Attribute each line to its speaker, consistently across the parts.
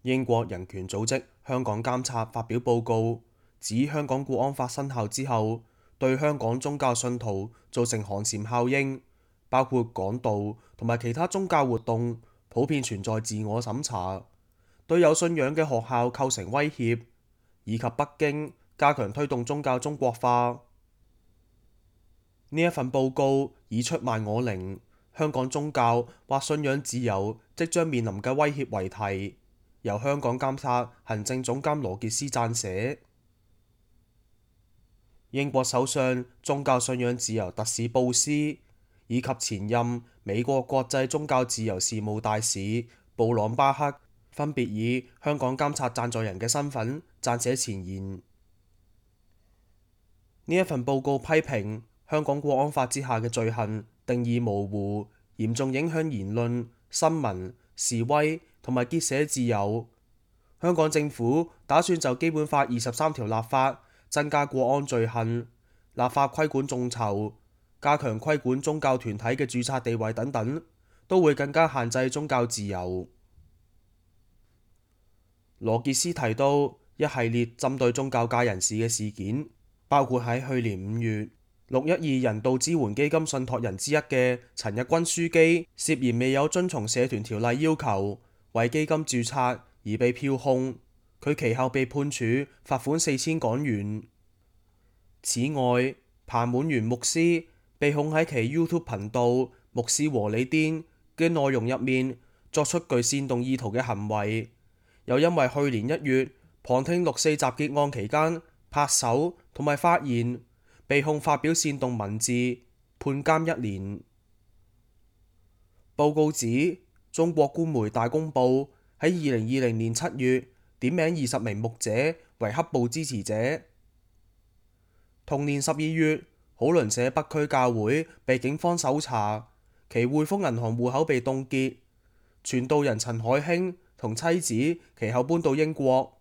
Speaker 1: 英國人權組織香港監察發表報告，指香港國安法生效之後，對香港宗教信徒造成寒蟬效應，包括講道同埋其他宗教活動普遍存在自我審查，對有信仰嘅學校構成威脅，以及北京加強推動宗教中國化。呢一份報告以出賣我靈、香港宗教或信仰自由即將面臨嘅威脅為題，由香港監察行政總監羅傑斯撰寫。英國首相宗教信仰自由特使布斯以及前任美國國際宗教自由事務大使布朗巴克分別以香港監察贊助人嘅身份撰寫前言。呢一份報告批評香港國安法之下嘅罪行定義模糊，嚴重影響言論、新聞、示威同埋結社自由。香港政府打算就基本法23條立法，增加國安罪行，立法規管眾籌，加強規管宗教團體嘅註冊地位等等，都會更加限制宗教自由。羅傑斯提到一系列針對宗教界人士嘅事件，包括喺去年5月612人道支援基金信託人之一嘅陳日君樞機涉嫌未有遵從社團條例要求，為基金註冊而被票控，佢其後被判處罰款4000港元。此外，彭滿源牧師被控喺其 YouTube 頻道牧師和你癲嘅內容入面作出具煽動意圖嘅行為，又因為去年1月旁聽6.4集結案期間拍手同埋發言，被控發表煽動文字，判監1年。報告指，中國官媒大公報喺2020年7月點名20名牧者為黑暴支持者。同年12月，好鄰社北區教會被警方搜查，其匯豐銀行戶口被凍結。傳道人陳海興同妻子其後搬到英國。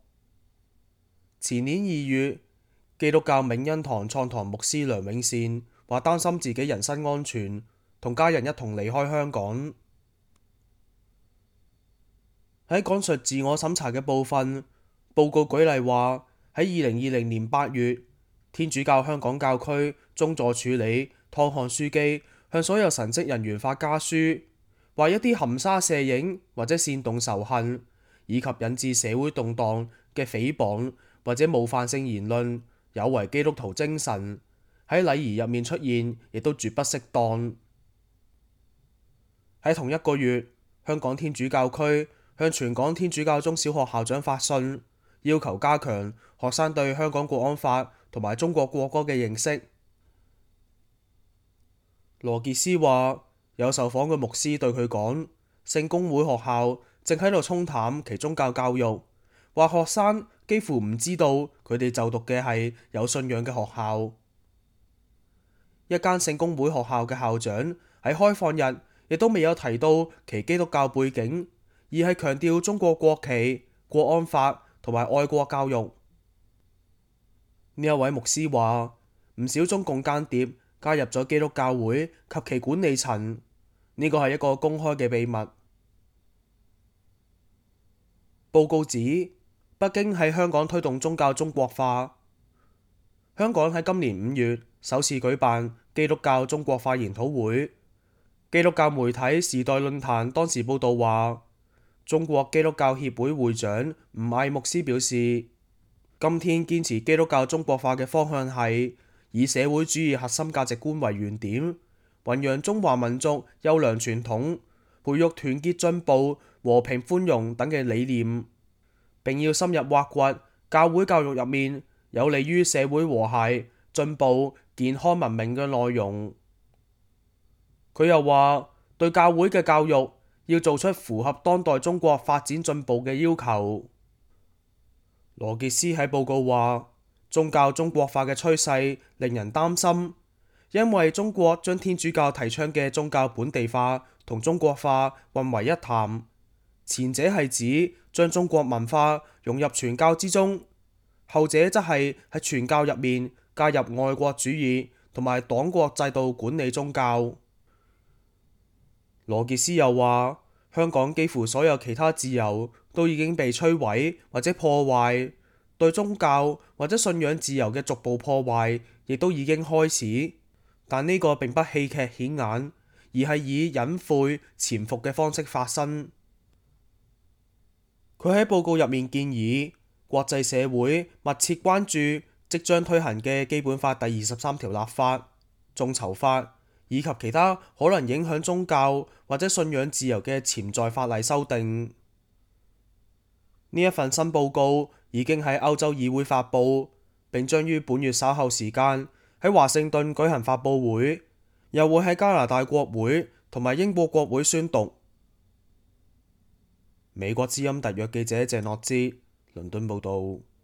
Speaker 1: 前年2月，基督教銘恩堂創堂牧師梁永善話擔心自己人身安全，同家人一同離開香港。喺講述自我審查嘅部分，報告舉例話喺2020年8月，天主教香港教區宗座署理湯漢樞機向所有神職人員發家書，話一啲含沙射影或者煽動仇恨，以及引致社會動盪嘅誹謗或者冒犯性言論，有違基督徒精神，喺禮儀入面出現，亦都絕不適當。喺同一個月，香港天主教區向全港天主教中小學校長發信，要求加強學生對香港國安法同埋中國國歌嘅認識。羅傑斯話，有受訪嘅牧師對佢講，聖公會學校正喺度沖淡其宗教教育，話學生幾乎唔知道佢哋就讀嘅係有信仰嘅學校。一間聖公會學校嘅校長喺開放日亦都未有提到其基督教背景，而係強調中國國旗、國安法同埋愛國教育。呢一位牧師話，唔少中共間諜加入咗基督教會及其管理層，呢個係一個公開嘅秘密。報告指，北京喺香港推動宗教中國化。香港喺今年5月首次舉辦基督教中國化研討會。基督教媒體時代論壇當時報道話，中國基督教協會會長吳毅牧師表示，今天堅持基督教中國化嘅方向係以社會主義核心價值觀為原點，弘揚中華民族優良傳統，培育團結進步、和平寬容等嘅理念，並要深入挖掘教會教育入面有利於社會和諧、進步、健康文明嘅內容。佢又話，對教會嘅教育要做出符合當代中國發展進步嘅要求。羅傑斯喺報告話，宗教中國化嘅趨勢令人擔心，因為中國將天主教提倡嘅宗教本地化同中國化混為一談，前者係指將中國文化融入傳教之中，後者則係喺傳教入面加入愛國主義同埋黨國制度管理宗教。羅傑斯又話，香港幾乎所有其他自由都已經被摧毀或者破壞，對宗教或者信仰自由嘅逐步破壞亦都已經開始。但呢個並不戲劇顯眼，而係以隱晦潛伏嘅方式發生。佢喺報告入面建議國際社會密切關注即將推行嘅基本法第23條立法、眾籌法以及其他可能影響宗教或者信仰自由嘅潛在法例修訂。呢一份新報告已經喺歐洲議會發布，並將於本月稍後時間喺華盛頓舉行發佈會，又會喺加拿大國會同埋英國國會宣讀。美國之音特約記者謝諾茲倫敦報導。